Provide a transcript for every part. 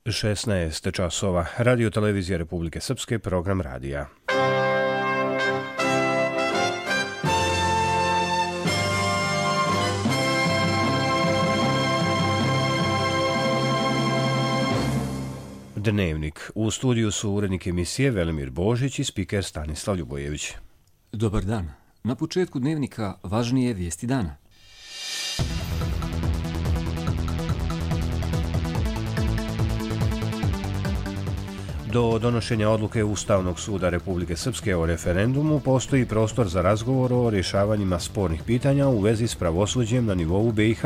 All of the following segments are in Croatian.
16 časova. Radio televizija Republike Srpske, program radija. Dnevnik. U studiju su urednik emisije Velimir Božić i spiker Stanislav Ljubojević. Dobar dan. Na početku dnevnika važnije vijesti dana. Do donošenja odluke Ustavnog suda Republike Srpske o referendumu postoji prostor za razgovor o rješavanjima spornih pitanja u vezi s pravosuđem na nivou BiH,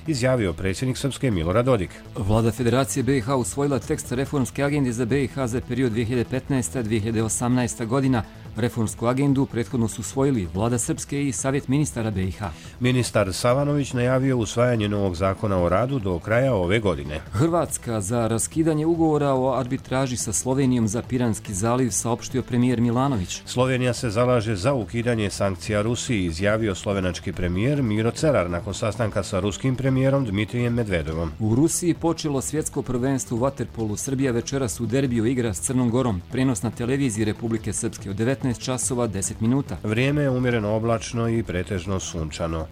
izjavio predsjednik Srpske Milorad Dodik. Vlada Federacije BiH usvojila tekst reformske agende za BiH za period 2015-2018 godina. Reformsku agendu prethodno su usvojili Vlada Srpske i Savjet ministara BiH. Ministar Savanović najavio usvajanje novog zakona o radu do kraja ove godine. Hrvatska za raskidanje ugovora o arbitraži sa Slovenijom za Piranski zaliv, saopštio premijer Milanović. Slovenija se zalaže za ukidanje sankcija Rusiji, izjavio slovenački premijer Miro Cerar nakon sastanka sa ruskim premijerom Dmitrijem Medvedevom. U Rusiji počelo svjetsko prvenstvo u vaterpolu. Srbija večeras u derbiju igra s Crnom Gorom. Prenos na televiziji Republike Srpske od 19 časova 10 minuta. Vrijeme je umjereno oblačno i pretežno sunčano.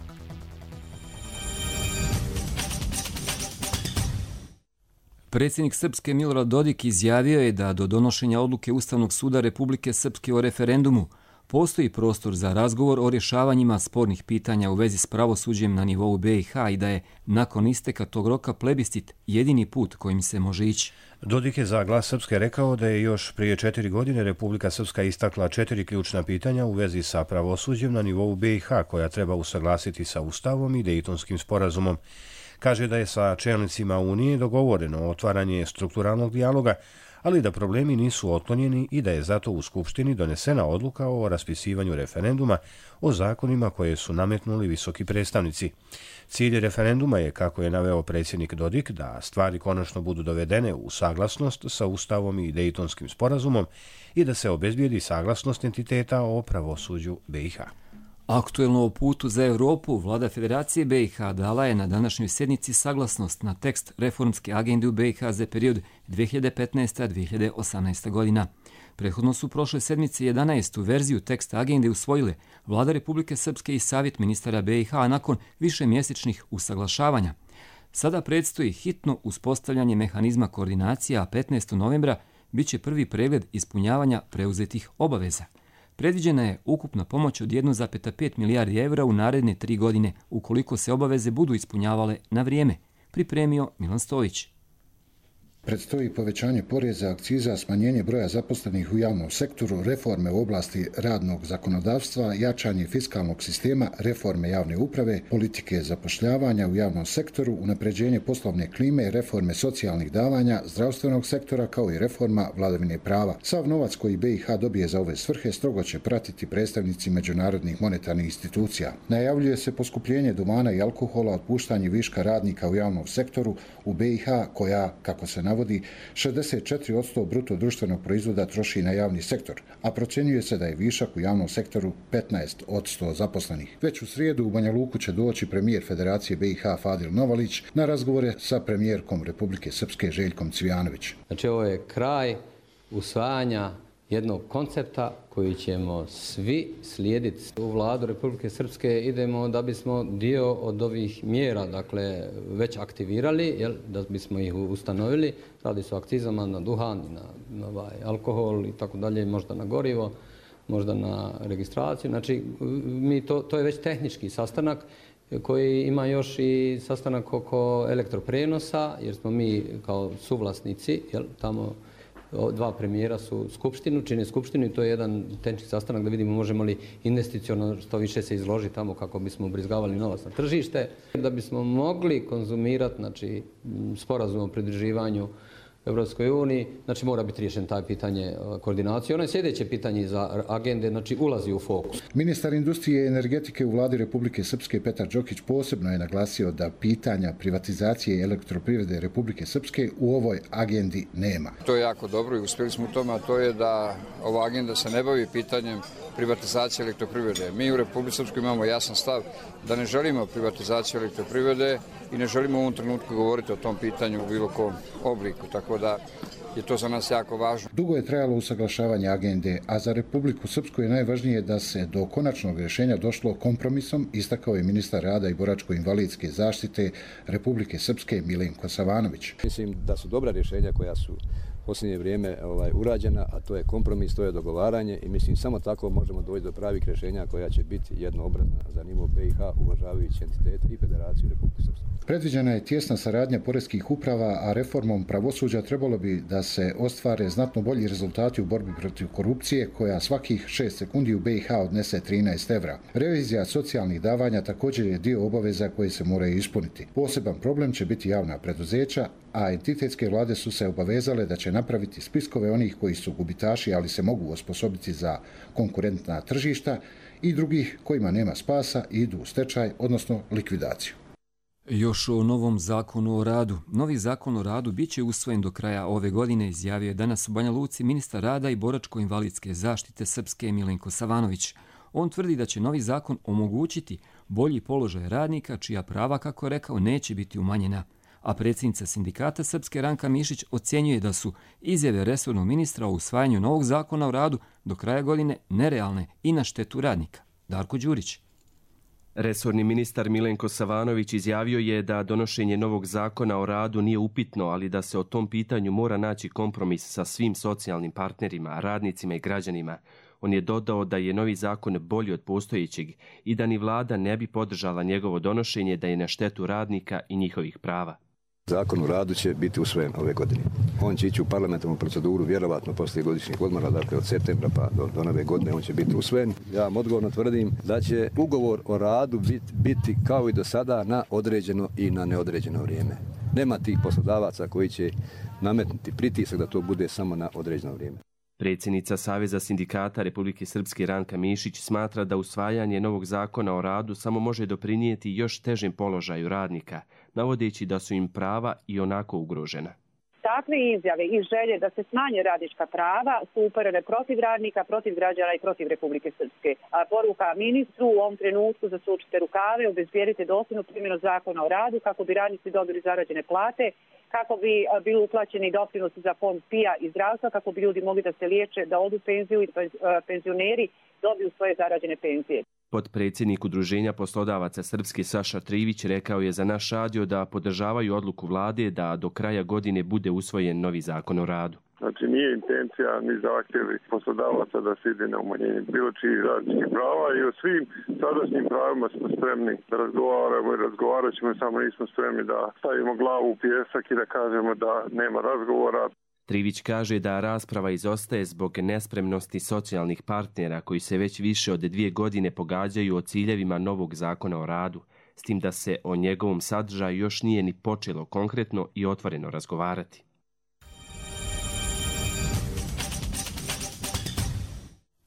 Predsjednik Srpske Milorad Dodik izjavio je da do donošenja odluke Ustavnog suda Republike Srpske o referendumu postoji prostor za razgovor o rješavanjima spornih pitanja u vezi s pravosuđem na nivou BiH i da je nakon isteka tog roka plebiscit jedini put kojim se može ići. Dodik je za Glas Srpske rekao da je još prije 4 godine Republika Srpska istakla 4 ključna pitanja u vezi sa pravosuđem na nivou BiH koja treba usaglasiti sa Ustavom i Dejtonskim sporazumom. Kaže da je sa čelnicima Unije dogovoreno otvaranje strukturalnog dijaloga, ali da problemi nisu otklonjeni i da je zato u Skupštini donesena odluka o raspisivanju referenduma o zakonima koje su nametnuli visoki predstavnici. Cilj referenduma je, kako je naveo predsjednik Dodik, da stvari konačno budu dovedene u saglasnost sa Ustavom i Dejtonskim sporazumom i da se obezbijedi saglasnost entiteta o pravosuđu BiH. Aktuelno o putu za Europu, Vlada Federacije BiH dala je na današnjoj sjednici saglasnost na tekst reformske agende u BiH za period 2015-2018 godina. Prethodno su prošle sedmice 11. verziju teksta agende usvojile Vlada Republike Srpske i Savjet ministara BiH nakon višemjesečnih usaglašavanja. Sada predstoji hitno uspostavljanje mehanizma koordinacija, a 15. novembra bit će prvi pregled ispunjavanja preuzetih obaveza. Predviđena je ukupna pomoć od 1,5 milijardi evra u naredne 3 godine, ukoliko se obaveze budu ispunjavale na vrijeme, pripremio Milan Stojić. Predstoji povećanje poreza, akciza, smanjenje broja zaposlenih u javnom sektoru, reforme u oblasti radnog zakonodavstva, jačanje fiskalnog sistema, reforme javne uprave, politike zapošljavanja u javnom sektoru, unapređenje poslovne klime, reforme socijalnih davanja, zdravstvenog sektora kao i reforma vladavine prava. Sav novac koji BiH dobije za ove svrhe strogo će pratiti predstavnici međunarodnih monetarnih institucija. Najavljuje se poskupljenje duvana i alkohola, otpuštanje viška radnika u javnom sektoru u BiH koja, kako se navodi, 64% bruto društvenog proizvoda troši na javni sektor, a procjenjuje se da je višak u javnom sektoru 15% zaposlenih. Već u srijedu u Banja Luku će doći premijer Federacije BiH Fadil Novalić na razgovore sa premijerkom Republike Srpske Željkom Cvijanović. Znači ovo je kraj usvajanja jednog koncepta koji ćemo svi slijediti. U Vladu Republike Srpske idemo da bismo dio od ovih mjera, dakle, već aktivirali, da bismo ih ustanovili. Radi se o akcizama na duhan, na alkohol i tako dalje, možda na gorivo, možda na registraciju. Znači, to je već tehnički sastanak koji ima još i sastanak oko elektroprenosa, jer smo mi kao suvlasnici, tamo 2 premijera su čine skupštinu i to je jedan tehnički sastanak da vidimo možemo li investicionalno što više se izložiti tamo kako bismo ubrizgavali novac na tržište. Da bismo mogli konzumirati, znači, sporazum o pridruživanju Evropskoj uniji, znači mora biti riješen taj pitanje koordinacije. Ono je sljedeće pitanje za agende, znači ulazi u fokus. Ministar industrije i energetike u Vladi Republike Srpske Petar Đokić posebno je naglasio da pitanja privatizacije elektroprivrede Republike Srpske u ovoj agendi nema. To je jako dobro i uspjeli smo u tome, a to je da ova agenda se ne bavi pitanjem privatizacije elektroprivrede. Mi u Republici Srpskoj imamo jasan stav da ne želimo privatizaciju elektroprivrede i ne želimo u ovom trenutku govoriti o tom pitanju u bilo kom obliku. Tako tako da je to za nas jako važno. Dugo je trajalo usaglašavanje agende, a za Republiku Srpsku je najvažnije da se do konačnog rješenja došlo kompromisom, istakao je ministar rada i boračko-invalidske zaštite Republike Srpske Milenko Savanović. Mislim da su dobra rješenja koja su u posljednje vrijeme urađena, a to je kompromis, to je dogovaranje i mislim samo tako možemo doći do pravih rješenja koja će biti jednoobrazna za nivo BiH, uvažavajući entitete i Federaciju Republike Srpske. Predviđena je tjesna saradnja poreskih uprava, a reformom pravosuđa trebalo bi da se ostvare znatno bolji rezultati u borbi protiv korupcije, koja svakih 6 sekundi u BiH odnese 13 evra. Revizija socijalnih davanja također je dio obaveza koje se moraju ispuniti. Poseban problem će biti javna preduzeća, a entitetske vlade su se obavezale da će napraviti spiskove onih koji su gubitaši, ali se mogu osposobiti za konkurentna tržišta, i drugih kojima nema spasa i idu u stečaj, odnosno likvidaciju. Još o novom zakonu o radu. Novi zakon o radu bit će usvojen do kraja ove godine, izjavio je danas u Banja Luci ministar rada i boračko-invalidske zaštite Srpske Milenko Savanović. On tvrdi da će novi zakon omogućiti bolji položaj radnika, čija prava, kako je rekao, neće biti umanjena. A predsjednica sindikata Srpske Ranka Mišić ocjenjuje da su izjave resornog ministra o usvajanju novog zakona o radu do kraja godine nerealne i na štetu radnika. Darko Đurić. Resorni ministar Milenko Savanović izjavio je da donošenje novog zakona o radu nije upitno, ali da se o tom pitanju mora naći kompromis sa svim socijalnim partnerima, radnicima i građanima. On je dodao da je novi zakon bolji od postojećeg i da ni vlada ne bi podržala njegovo donošenje da je na štetu radnika i njihovih prava. Zakon o radu će biti usvojen ove godine. On će ići u parlamentarnu proceduru vjerovatno poslije godišnjih odmora, dakle od septembra pa do nove godine on će biti usvojen. Ja vam odgovorno tvrdim da će ugovor o radu biti kao i do sada na određeno i na neodređeno vrijeme. Nema tih poslodavaca koji će nametnuti pritisak da to bude samo na određeno vrijeme. Predsjednica Saveza sindikata Republike Srpske Ranka Mišić smatra da usvajanje novog zakona o radu samo može doprinijeti još težem položaju radnika, navodeći da su im prava i onako ugrožena. Takve izjave i želje da se smanje radnička prava su uperene protiv radnika, protiv građana i protiv Republike Srpske. A poruka ministru u ovom trenutku: zasučite rukave, obezbijedite dosljednu primjenu zakona o radu kako bi radnici dobili zarađene plate, kako bi bili uplaćeni doprinosi za fond PIA i zdravstva, kako bi ljudi mogli da se liječe, da odu u penziju i penzioneri dobiju svoje zarađene penzije. Potpredsjednik Udruženja poslodavaca Srpske Saša Trivić rekao je za naš radio da podržavaju odluku vlade da do kraja godine bude usvojen novi zakon o radu. Znači nije intencija ni zahtjevi poslodavaca da se ide na umanjenje bilo čijih radničkih prava i o svim sadašnjim pravima smo spremni da razgovaramo i razgovarat ćemo, samo nismo spremni da stavimo glavu u pijesak i da kažemo da nema razgovora. Trivić kaže da rasprava izostaje zbog nespremnosti socijalnih partnera koji se već više od 2 godine pogađaju o ciljevima novog zakona o radu, s tim da se o njegovom sadržaju još nije ni počelo konkretno i otvoreno razgovarati.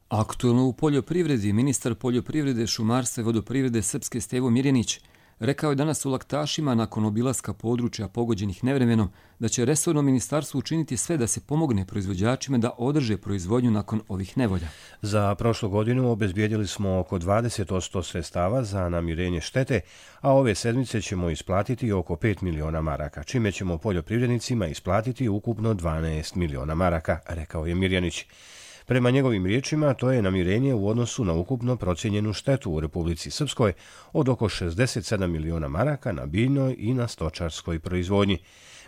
Aktualno u poljoprivredi, ministar poljoprivrede, šumarstva i vodoprivrede Srpske Stevo Mirjanić rekao je danas u Laktašima nakon obilaska područja pogođenih nevremenom da će resorno ministarstvo učiniti sve da se pomogne proizvođačima da održe proizvodnju nakon ovih nevolja. Za prošlu godinu obezbijedili smo oko 20% sredstava za namirenje štete, a ove sedmice ćemo isplatiti oko 5 miliona maraka, čime ćemo poljoprivrednicima isplatiti ukupno 12 miliona maraka, rekao je Mirjanić. Prema njegovim riječima, to je namirenje u odnosu na ukupno procijenjenu štetu u Republici Srpskoj od oko 67 miliona maraka na biljnoj i na stočarskoj proizvodnji.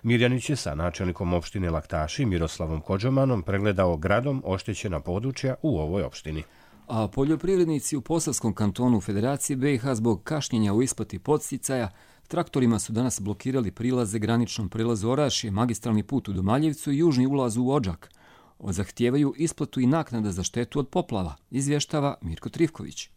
Mirjanić je sa načelnikom opštine Laktaši Miroslavom Kođomanom pregledao gradom oštećena područja u ovoj opštini. A poljoprivrednici u Posavskom kantonu Federacije BiH zbog kašnjenja u isplati podsticaja traktorima su danas blokirali prilaze graničnom prelazu Orašje, magistralni put u Domaljevcu i južni ulaz u Odžak. Zahtijevaju isplatu i naknada za štetu od poplava, izvještava Mirko Trivković.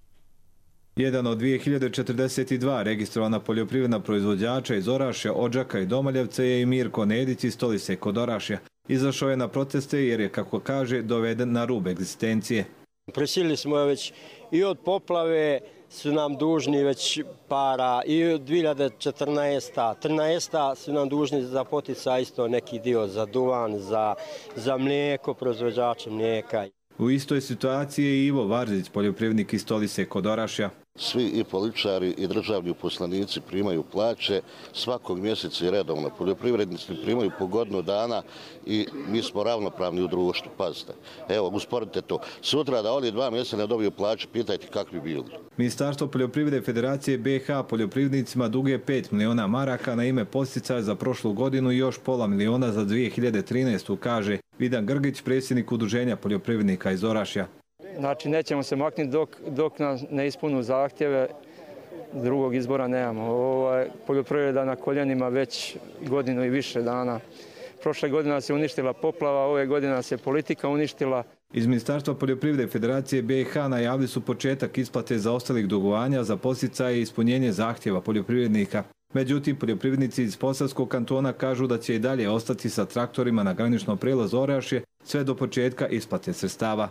Jedan od 2042 registrovana poljoprivredna proizvođača iz Orašja, Odžaka i Domaljevca je i Mirko Nedić iz Stolice kod Orašja. Izašao je na proteste jer je, kako kaže, doveden na rub egzistencije. Prisilili smo već i od poplave su nam dužni već para i od 2014. su nam dužni za poticaj isto neki dio za duvan, za mlijeko, proizvođače mlijeka. U istoj situaciji je Ivo Varzić, poljoprivrednik iz Stolice kod Orašja. Svi i političari i državni uposlenici primaju plaće svakog mjeseca i redovno. Poljoprivrednici primaju po godinu dana i mi smo ravnopravni u društvu. Pazite, evo, usporedite to. Sutra da oni 2 mjeseca ne dobiju plaće, pitajte kakvi bili. Ministarstvo poljoprivrede Federacije BiH poljoprivrednicima duguje 5 miliona maraka na ime podsticaja za prošlu godinu i još pola miliona za 2013. kaže Vidan Grgić, predsjednik Udruženja poljoprivrednika iz Orašja. Znači, nećemo se maknuti dok nas ne ispunu zahtjeve, drugog izbora nemamo. Poljoprivreda na koljenima već godinu i više dana. Prošle godine nas je uništila poplava, ove godine nas je politika uništila. Iz Ministarstva poljoprivrede Federacije BiH najavili su početak isplate zaostalih dugovanja za podsticaje i ispunjenje zahtjeva poljoprivrednika. Međutim, poljoprivrednici iz Posavskog kantona kažu da će i dalje ostati sa traktorima na graničnom prijelazu Orašje sve do početka isplate sredstava.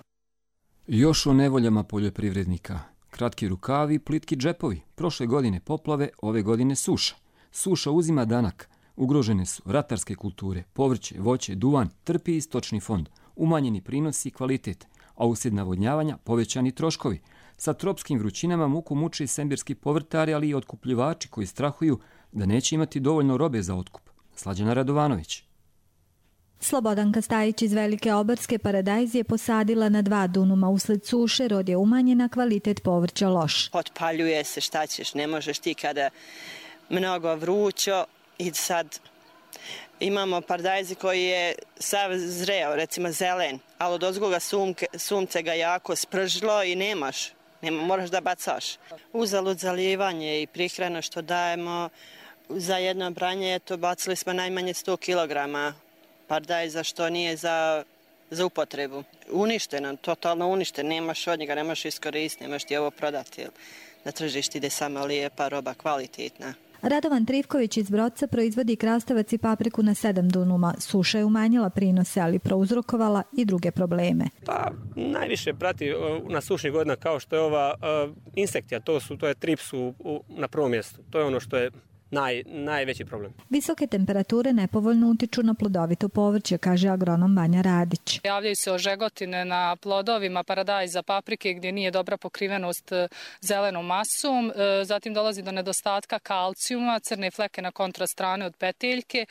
Još o nevoljama poljoprivrednika. Kratki rukavi, plitki džepovi. Prošle godine poplave, ove godine suša. Suša uzima danak. Ugrožene su ratarske kulture, povrće, voće, duvan, trpi i stočni fond. Umanjeni prinosi i kvalitet, a uslijed navodnjavanja povećani troškovi. Sa tropskim vrućinama muku muče i sembirski povrtari, ali i otkupljivači koji strahuju da neće imati dovoljno robe za otkup. Slađana Radovanović. Slobodanka Stajić iz Velike Oborske paradajz je posadila na 2 dunuma. Usled suše rod je umanjena, kvalitet povrća loš. Otpaljuje se, šta ćeš, ne možeš ti kada mnogo vrućo i sad imamo paradajzi koji je sav zreo, recimo zelen, ali od ozgoga sunce ga jako spržilo i moraš da bacaš. Uzalud zalijevanje i prihranu što dajemo za jedno branje, to bacili smo najmanje 100 kilograma paradajza što nije za upotrebu. Uništeno, totalno uništeno, nemaš od njega, nemaš iskoristiti, nemaš ti ovo prodati. Na tržišti ide samo lijepa roba, kvalitetna. Radovan Trivković iz Brodca proizvodi krastavac i papriku na 7 dunuma. Suša je umanjila prinose, ali prouzrokovala i druge probleme. Pa najviše prati na sušnih godina kao što je ova insektija, to je trips na prvom mjestu. To je ono što je najveći problem. Visoke temperature nepovoljno utiču na plodovito povrće, kaže agronom Vanja Radić. Javljaju se ožegotine na plodovima paradajza, paprike gdje nije dobra pokrivenost zelenom masom, zatim dolazi do nedostatka kalcijuma, crne fleke na kontrastrane od peteljke,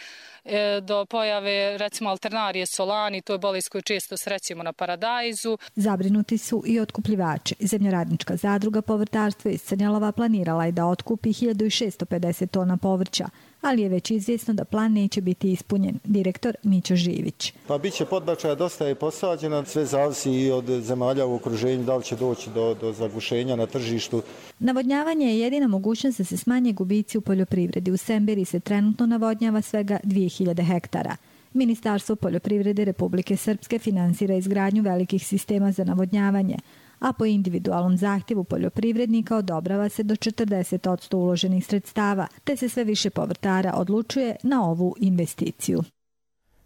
do pojave recimo alternarije solani, to je bolest koju često srećemo na paradajzu. Zabrinuti su i otkupljivači. Zemljoradnička zadruga povrtarstva iz Crnjalova planirala je da otkupi 1650 tona povrća, ali je već izvjesno da plan neće biti ispunjen. Direktor Mićo Živić. Pa bit će podbačaja, dosta je posađena, sve zavisi i od zemalja u okruženju, da li će doći do zagušenja na tržištu. Navodnjavanje je jedina mogućnost da se smanje gubici u poljoprivredi. U Sembiri se trenutno navodnjava svega 2000 hektara. Ministarstvo poljoprivrede Republike Srpske finansira izgradnju velikih sistema za navodnjavanje, a po individualnom zahtjevu poljoprivrednika odobrava se do 40% uloženih sredstava, te se sve više povrtara odlučuje na ovu investiciju.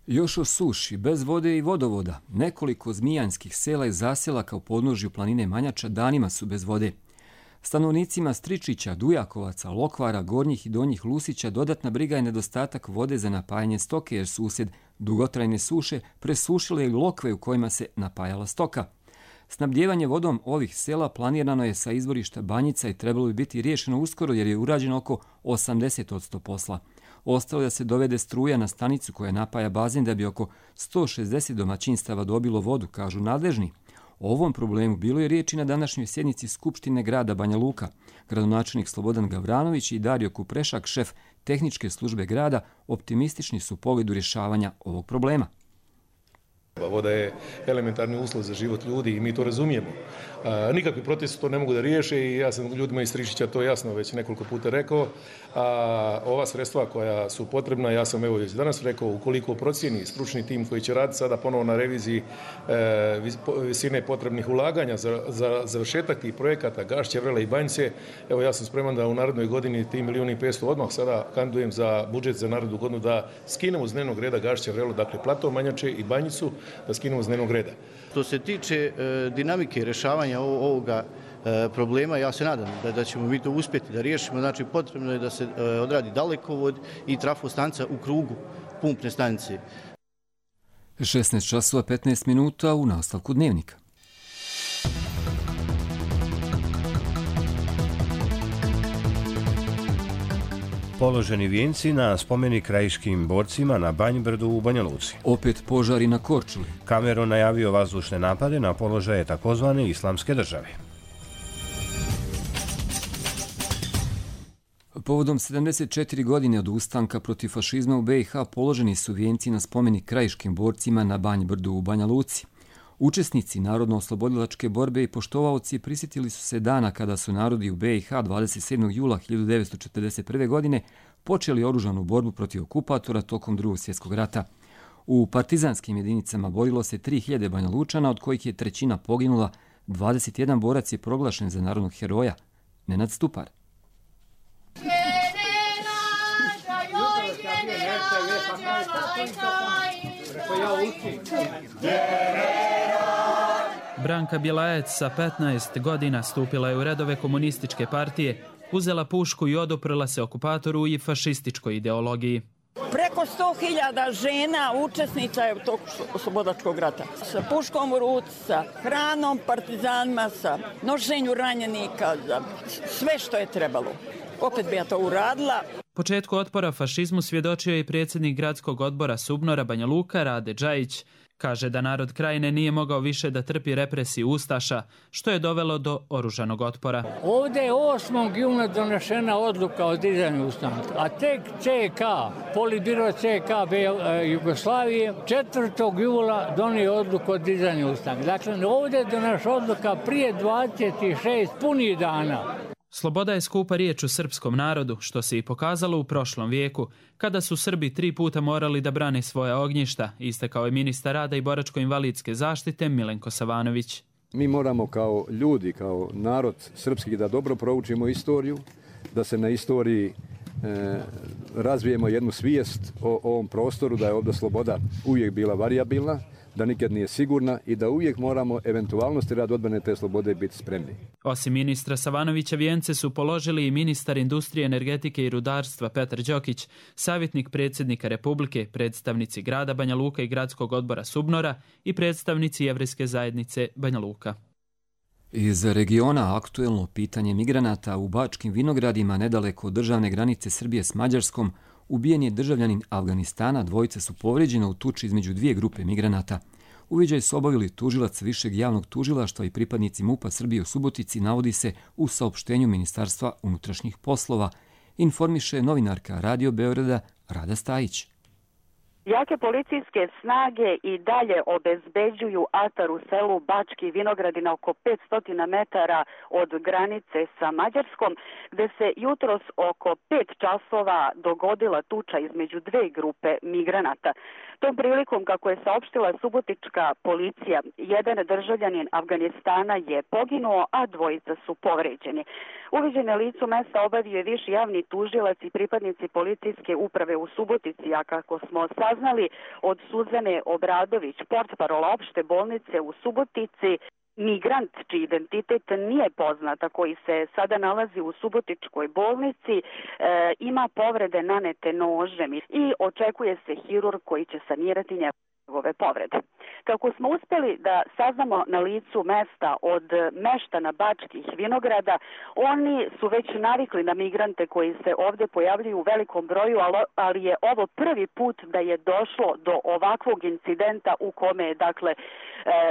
Još o suši, bez vode i vodovoda. Nekoliko zmijanskih sela i zaselaka u podnožju planine Manjača danima su bez vode. Stanovnicima Stričića, Dujakovaca, Lokvara, Gornjih i Donjih Lusića dodatna briga je nedostatak vode za napajanje stoke, jer su uslijed dugotrajne suše presušile i lokve u kojima se napajala stoka. Snabdijevanje vodom ovih sela planirano je sa izvorišta Banjica i trebalo bi biti riješeno uskoro jer je urađeno oko 80% posla. Ostalo je da se dovede struja na stanicu koja napaja bazen da bi oko 160 domaćinstava dobilo vodu, kažu nadležni. O ovom problemu bilo je riječi na današnjoj sjednici Skupštine grada Banja Luka. Gradonačelnik Slobodan Gavranović i Dario Kuprešak, šef tehničke službe grada, optimistični su u pogledu rješavanja ovog problema. Voda je elementarni uslov za život ljudi i mi to razumijemo. Nikakvi protesti to ne mogu da riješe i ja sam ljudima iz Stričića to jasno već nekoliko puta rekao. Ova sredstva koja su potrebna, ja sam evo već danas rekao, ukoliko procijeni stručni tim koji će raditi sada ponovo na reviziji visine potrebnih ulaganja za završetak tih projekata Gašće, Vrele i Banjice, evo ja sam spreman da u narednoj godini ti 1.500.000 odmah sada kandidujem za budžet za narednu godinu da skinemo s dnevnog reda Gašće, Vrelo, dakle Plato, Manjače i Banjicu, da skinemo s dnevnog reda. Što se tiče dinamike rješavanja ovoga problema, ja se nadam da ćemo mi to uspjeti da riješimo. Znači, potrebno je da se odradi dalekovod i trafostanica u krugu pumpne stanice. 16:15 u nastavku dnevnika. Položeni vijenci na spomenik krajiškim borcima na Banjbrdu u Banja Luci. Opet požari na Korčuli. Kameron najavio vazdušne napade na položaje takozvane Islamske države. Povodom 74 godine od ustanka protiv fašizma u BiH položeni su vijenci na spomenik krajiškim borcima na Banjbrdu u Banja Luci. Učesnici narodno-oslobodilačke borbe i poštovaoci prisjetili su se dana kada su narodi u BiH 27. jula 1941. godine počeli oružanu borbu protiv okupatora tokom II. Svjetskog rata. U partizanskim jedinicama borilo se 3000 Banja Lučana, od kojih je trećina poginula, 21 borac je proglašen za narodnog heroja, Nenad Stupar. Branka Bjelajec sa 15 godina stupila je u redove komunističke partije, uzela pušku i oduprla se okupatoru i fašističkoj ideologiji. Preko 100.000 žena učesnica je tog oslobodačkog rata. Sa puškom u ruci, sa hranom, partizanima, sa nošenju ranjenika, za sve što je trebalo. Opet bi ja to uradila. Početku otpora fašizmu svjedočio je i predsjednik gradskog odbora Subnora Banja Luka, Rade Džajić. Kaže da narod krajine nije mogao više da trpi represiju ustaša, što je dovelo do oružanog otpora. Ovdje je 8. juna donešena odluka o dizanju ustanka, a tek CK, Politbiro CK Jugoslavije, 4. jula donio odluku o dizanju ustanka. Dakle, ovdje je donešena odluka prije 26 punih dana. Sloboda je skupa riječ u srpskom narodu, što se i pokazalo u prošlom vijeku, kada su Srbi 3 puta morali da brane svoja ognjišta, istakao je ministar rada i boračko-invalidske zaštite Milenko Savanović. Mi moramo kao ljudi, kao narod srpski da dobro proučimo istoriju, da se na istoriji razvijemo jednu svijest o ovom prostoru, da je ovdje sloboda uvijek bila varijabilna, da nikad nije sigurna i da uvijek moramo eventualnosti rad odbrane te slobode biti spremni. Osim ministra Savanovića vijence su položili i ministar industrije, energetike i rudarstva Petar Đokić, savjetnik predsjednika Republike, predstavnici grada Banja Luka i gradskog odbora Subnora i predstavnici Jevrejske zajednice Banja Luka. Iz regiona aktuelno pitanje migranata u Bačkim Vinogradima nedaleko od državne granice Srbije s Mađarskom ubijen je državljanin Afganistana, dvojice su povrijeđena u tuči između 2 grupe migranata. Uviđaj su obavili tužilac Višeg javnog tužilaštva i pripadnici MUP-a Srbije u Subotici, navodi se u saopštenju Ministarstva unutrašnjih poslova, informiše novinarka Radio Beograda Rada Stajić. Jake policijske snage i dalje obezbeđuju atar u selu Bački Vinogradi na oko 500 metara od granice sa Mađarskom, gde se jutros oko 5 časova dogodila tuča između 2 grupe migranata. Tom prilikom, kako je saopštila subotička policija, jedan državljanin Afganistana je poginuo, a dvojica su povređeni. Uviđene licu mesta obavio je viši javni tužilac i pripadnici policijske uprave u Subotici, a kako smo saznali od Suzane Obradović, portparola opšte bolnice u Subotici, migrant čiji identitet nije poznata, koji se sada nalazi u Subotičkoj bolnici, ima povrede nanete nožem i očekuje se hirurg koji će sanirati njegove povrede. Kako smo uspjeli da saznamo na licu mesta od meštana Bačkih Vinograda, oni su već navikli na migrante koji se ovdje pojavljuju u velikom broju, ali je ovo prvi put da je došlo do ovakvog incidenta u kome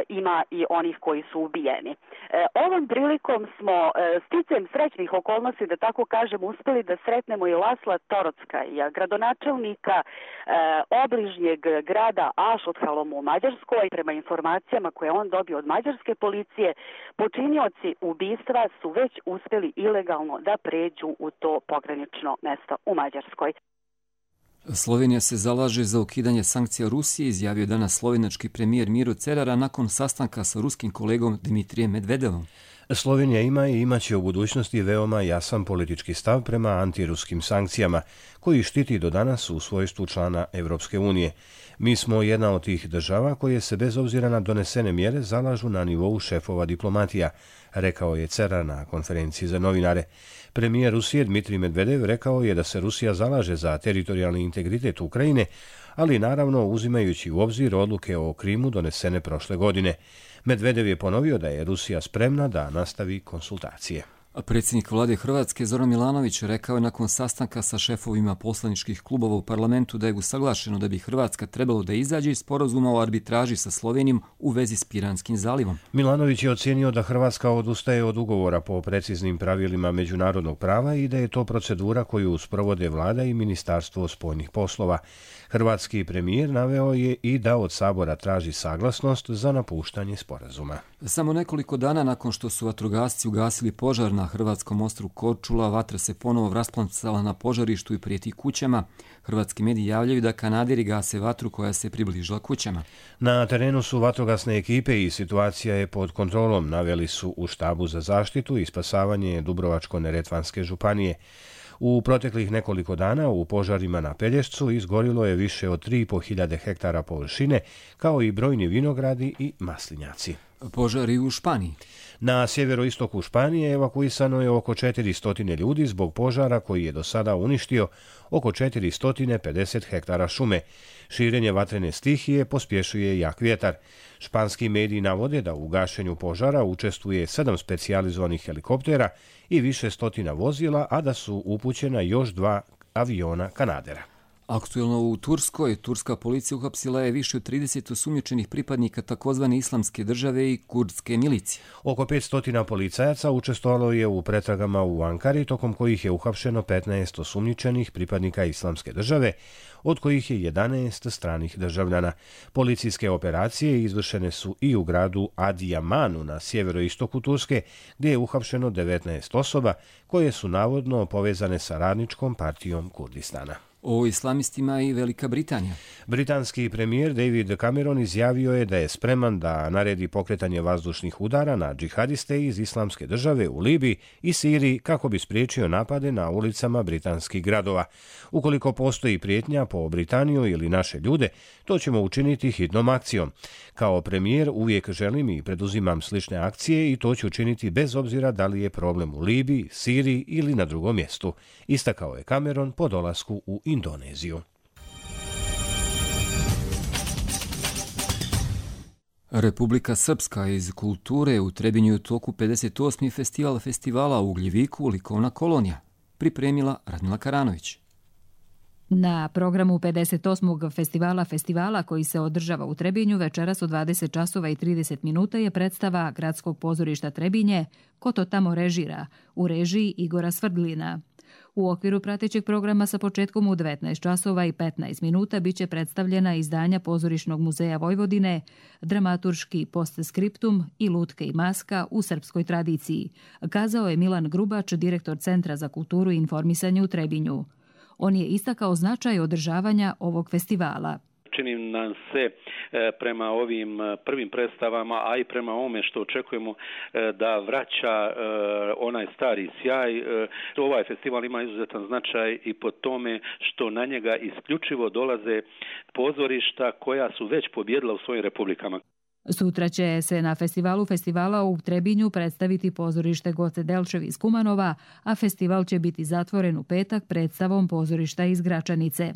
ima i onih koji su ubijeni. Ovom prilikom smo sticajem srećnih okolnosti, da tako kažem, uspjeli da sretnemo i Lasla Torockaja, gradonačelnika obližnjeg grada Ašothalom u Mađarskoj. Prema informacijama koje on dobio od mađarske policije, počinioci ubistva su već uspjeli ilegalno da pređu u to pogranično mesto u Mađarskoj. Slovenija se zalaže za ukidanje sankcija Rusije, izjavio danas slovenački premijer Miro Cerara nakon sastanka sa ruskim kolegom Dmitrijem Medvedevom. Slovenija ima i imaće u budućnosti veoma jasan politički stav prema antiruskim sankcijama, koji štiti do danas u svojstvu člana Evropske unije. Mi smo jedna od tih država koje se bez obzira na donesene mjere zalažu na nivou šefova diplomatija, rekao je Cerar na konferenciji za novinare. Premijer Rusije Dmitrij Medvedev rekao je da se Rusija zalaže za teritorijalni integritet Ukrajine, ali naravno uzimajući u obzir odluke o Krimu donesene prošle godine. Medvedev je ponovio da je Rusija spremna da nastavi konsultacije. Predsjednik vlade Hrvatske Zoran Milanović rekao je nakon sastanka sa šefovima poslaničkih klubova u parlamentu da je usaglašeno da bi Hrvatska trebalo da izađe iz sporazuma o arbitraži sa Slovenijom u vezi s Piranskim zalivom. Milanović je ocijenio da Hrvatska odustaje od ugovora po preciznim pravilima međunarodnog prava i da je to procedura koju sprovode vlada i Ministarstvo spoljnih poslova. Hrvatski premijer naveo je i da od Sabora traži saglasnost za napuštanje sporazuma. Samo nekoliko dana nakon što su vatrogasci ugasili požar na hrvatskom ostrvu Korčula, vatra se ponovo rasplancala na požarištu i prijeti kućama. Hrvatski mediji javljaju da Kanaderi gase vatru koja se približila kućama. Na terenu su vatrogasne ekipe i situacija je pod kontrolom, naveli su u štabu za zaštitu i spasavanje Dubrovačko-neretvanske županije. U proteklih nekoliko dana u požarima na Pelješcu izgorilo je više od 3.500 hektara površine, kao i brojni vinogradi i maslinjaci. Požari u Španiji. Na sjeveroistoku Španije evakuisano je oko 400 ljudi zbog požara koji je do sada uništio oko 450 hektara šume. Širenje vatrene stihije pospješuje jak vjetar. Španski mediji navode da u gašenju požara učestvuje 7 specijalizovanih helikoptera i više stotina vozila, a da su upućena još 2 aviona Kanadera. Aktuelno u Turskoj, turska policija uhapsila je više od 30 osumnjičenih pripadnika takozvane islamske države i kurdske milicije. Oko 500 policajaca učestvovalo je u pretragama u Ankari, tokom kojih je uhapšeno 15 osumnjičenih pripadnika islamske države, od kojih je 11 stranih državljana. Policijske operacije izvršene su i u gradu Adiamanu na sjeveroistoku Turske, gdje je uhapšeno 19 osoba koje su navodno povezane sa Radničkom partijom Kurdistana. O islamistima i Velika Britanija. Britanski premijer David Cameron izjavio je da je spreman da naredi pokretanje vazdušnih udara na džihadiste iz islamske države u Libiji i Siriji kako bi spriječio napade na ulicama britanskih gradova. Ukoliko postoji prijetnja po Britaniju ili naše ljude, to ćemo učiniti hitnom akcijom. Kao premijer uvijek želim i preduzimam slične akcije i to ću učiniti bez obzira da li je problem u Libiji, Siriji ili na drugom mjestu, istakao je Cameron po dolasku u Indoneziju. Republika Srpska iz kulture u Trebinju u toku 58. festival festivala u Ugljeviku Likovna kolonija. Pripremila Radmila Karanović. Na programu 58. festivala koji se održava u Trebinju večeras u 20 časova i 30 minuta je predstava Gradskog pozorišta Trebinje Ko to tamo režira u režiji Igora Svrdlina. U okviru pratećeg programa sa početkom u 19 časova i 15 minuta biće predstavljena izdanja Pozorišnog muzeja Vojvodine, dramaturški postskriptum i Lutke i maska u srpskoj tradiciji, kazao je Milan Grubač, direktor Centra za kulturu i informisanje u Trebinju. On je istakao značaj održavanja ovog festivala. Čini nam se prema ovim prvim predstavama, a i prema ovome što očekujemo da vraća onaj stari sjaj. Ovaj festival ima izuzetan značaj i po tome što na njega isključivo dolaze pozorišta koja su već pobjedila u svojim republikama. Sutra će se na festivala u Trebinju predstaviti pozorište Goce Delčev iz Kumanova, a festival će biti zatvoren u petak predstavom pozorišta iz Gračanice.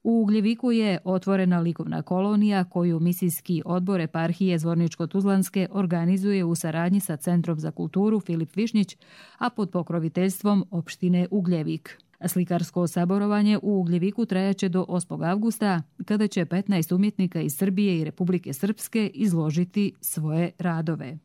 U Ugljeviku je otvorena likovna kolonija koju misijski odbor eparhije Zvorničko-Tuzlanske organizuje u saradnji sa Centrom za kulturu Filip Višnjić, a pod pokroviteljstvom opštine Ugljevik. Slikarsko saborovanje u Ugljeviku trajaće do 8. avgusta, kada će 15 umjetnika iz Srbije i Republike Srpske izložiti svoje radove.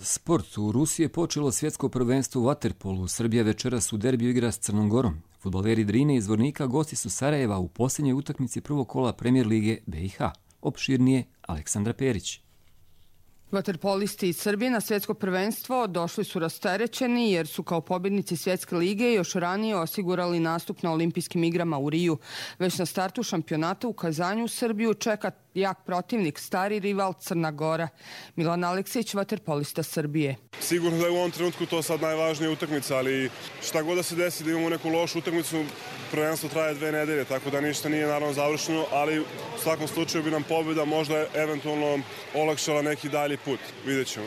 Sport. U Rusiji je počelo svjetsko prvenstvo u vaterpolu. Srbija večeras u derbiju igra s Crnom Gorom. Fudbaleri Drine iz Zvornika gosti su Sarajeva u posljednjoj utakmici prvog kola Premijer lige BiH. Opširnije Aleksandra Perić. Vaterpolisti iz Srbije na svjetsko prvenstvo došli su rasterećeni jer su kao pobjednici svjetske lige još ranije osigurali nastup na olimpijskim igrama u Riju. Već na startu šampionata u Kazanju Srbiju čeka jak protivnik, stari rival Crna Gora. Milan Aleksić, vaterpolista Srbije. Sigurno da je u ovom trenutku to sad najvažnija utakmica, ali šta god da se desi da imamo neku lošu utakmicu, prvenstvo traje 2 nedelje, tako da ništa nije naravno završeno, ali u svakom slučaju bi nam pobjeda možda eventualno olakšala neki dalji put. Vidjet ćemo.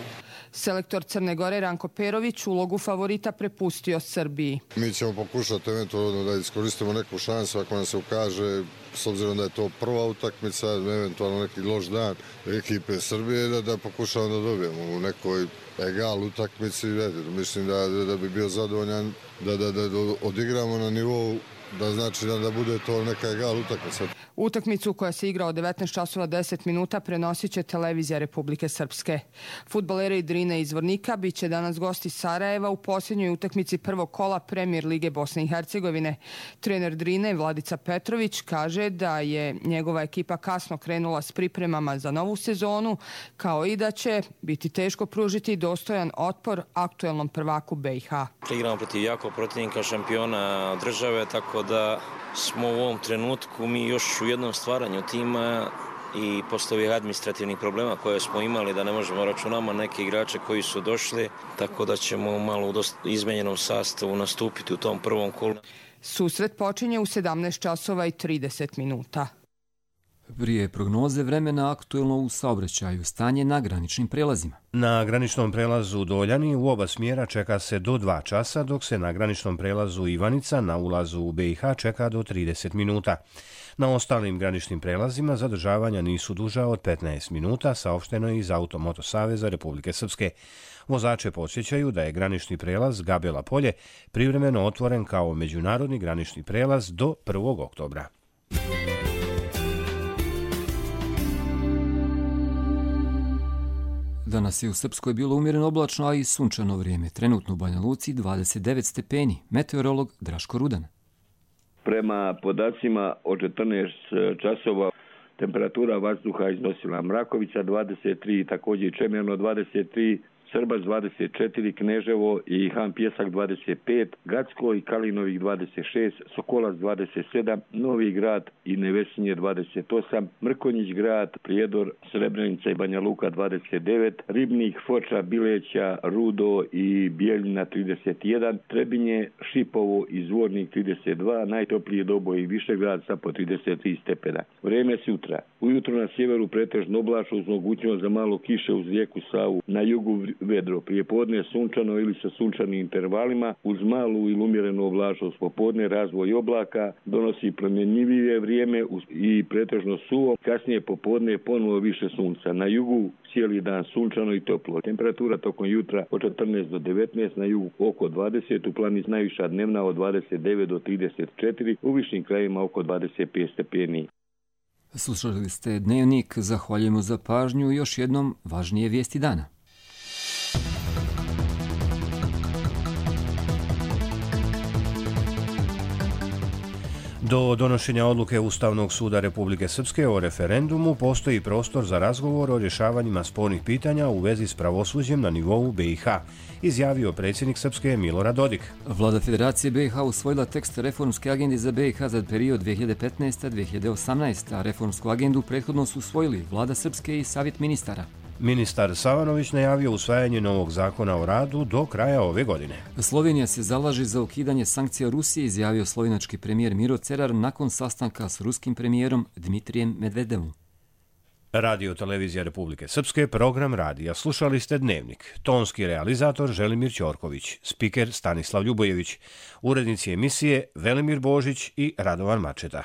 Selektor Crne Gore Ranko Perović ulogu favorita prepustio Srbiji. Mi ćemo pokušati eventualno da iskoristimo neku šansu ako nam se ukaže, s obzirom da je to prva utakmica, eventualno neki loš dan ekipe Srbije, da pokušamo da dobijemo u nekoj egal utakmici. Mislim da bi bio zadovoljan da odigramo na nivou, da znači da bude to neka egal utakmica. Utakmicu koja se igra od 19 časova 10 minuta prenosit će televizija Republike Srpske. Fudbaleri Drine iz Vornika bit će danas gosti Sarajeva u posljednjoj utakmici prvog kola Premijer Lige Bosne i Hercegovine. Trener Drine Vladica Petrović kaže da je njegova ekipa kasno krenula s pripremama za novu sezonu, kao i da će biti teško pružiti dostojan otpor aktuelnom prvaku BiH. Igramo protiv jakog protivnika, šampiona države, tako da smo u ovom trenutku mi još u jednom stvaranju tima i posle ovih administrativnih problema koje smo imali, da ne možemo računamo neke igrače koji su došli, tako da ćemo malo u dosta izmenjenom sastavu nastupiti u tom prvom kolu. Susret počinje u 17 časova i 30 minuta. Prije prognoze vremena aktuelno u saobraćaju stanje na graničnim prelazima. Na graničnom prelazu Doljani u oba smjera čeka se do 2 časa, dok se na graničnom prelazu Ivanica na ulazu u BiH čeka do 30 minuta. Na ostalim graničnim prelazima zadržavanja nisu duža od 15 minuta, saopšteno je iz Automoto Saveza Republike Srpske. Vozače podsjećaju da je granični prelaz Gabela Polje privremeno otvoren kao međunarodni granični prelaz do 1. oktobra. Danas je u Srpskoj bilo umjereno oblačno, a i sunčano vrijeme. Trenutno u Banja Luci 29 stepeni. Meteorolog Draško Rudan. Prema podacima od 14 časova temperatura vazduha iznosila Mrakovica 23, također Čemerno 23, Srbac 24, Kneževo i Han Pjesak 25, Gacko i Kalinovih 26, Sokolac 27, Novi Grad i Nevesinje 28, Mrkonjić Grad, Prijedor, Srebrenica i Banja Luka 29, Ribnik, Foča, Bileća, Rudo i Bijeljina 31, Trebinje, Šipovo i Zvornik 32, najtoplije Doboj i Višegrad sa po 33 stepena. Vrijeme sutra. Ujutro na sjeveru pretežno oblačno uz mogućnost za malo kiše uz rijeku Savu, na jugu vedro, prijepodne sunčano ili sa sunčanim intervalima, uz malu ili umjerenu oblačnost. Popodne razvoj oblaka, donosi promjenjivije vrijeme i pretežno suvo, kasnije popodne ponovo više sunca. Na jugu cijeli dan sunčano i toplo. Temperatura tokom jutra od 14 do 19, na jugu oko 20, u planici najviša dnevna od 29 do 34, u višim krajevima oko 25 stepeni. Slušali ste Dnevnik, zahvaljujemo za pažnju i još jednom važnije vijesti dana. Do donošenja odluke Ustavnog suda Republike Srpske o referendumu postoji prostor za razgovor o rješavanjima spornih pitanja u vezi s pravosuđem na nivou BiH, izjavio predsjednik Srpske Milorad Dodik. Vlada Federacije BiH usvojila tekst reformske agende za BiH za period 2015-2018, a reformsku agendu prethodno su usvojili Vlada Srpske i Savjet ministara. Ministar Savanović najavio usvajanje novog zakona o radu do kraja ove godine. Slovenija se zalaže za ukidanje sankcija Rusije, izjavio slovenački premijer Miro Cerar nakon sastanka s ruskim premijerom Dmitrijem Medvedevom. Radio Televizija Republike Srpske, program radija. Slušali ste Dnevnik. Tonski realizator Želimir Ćorković, spiker Stanislav Ljubojević, urednici emisije Velimir Božić i Radovan Mačeta.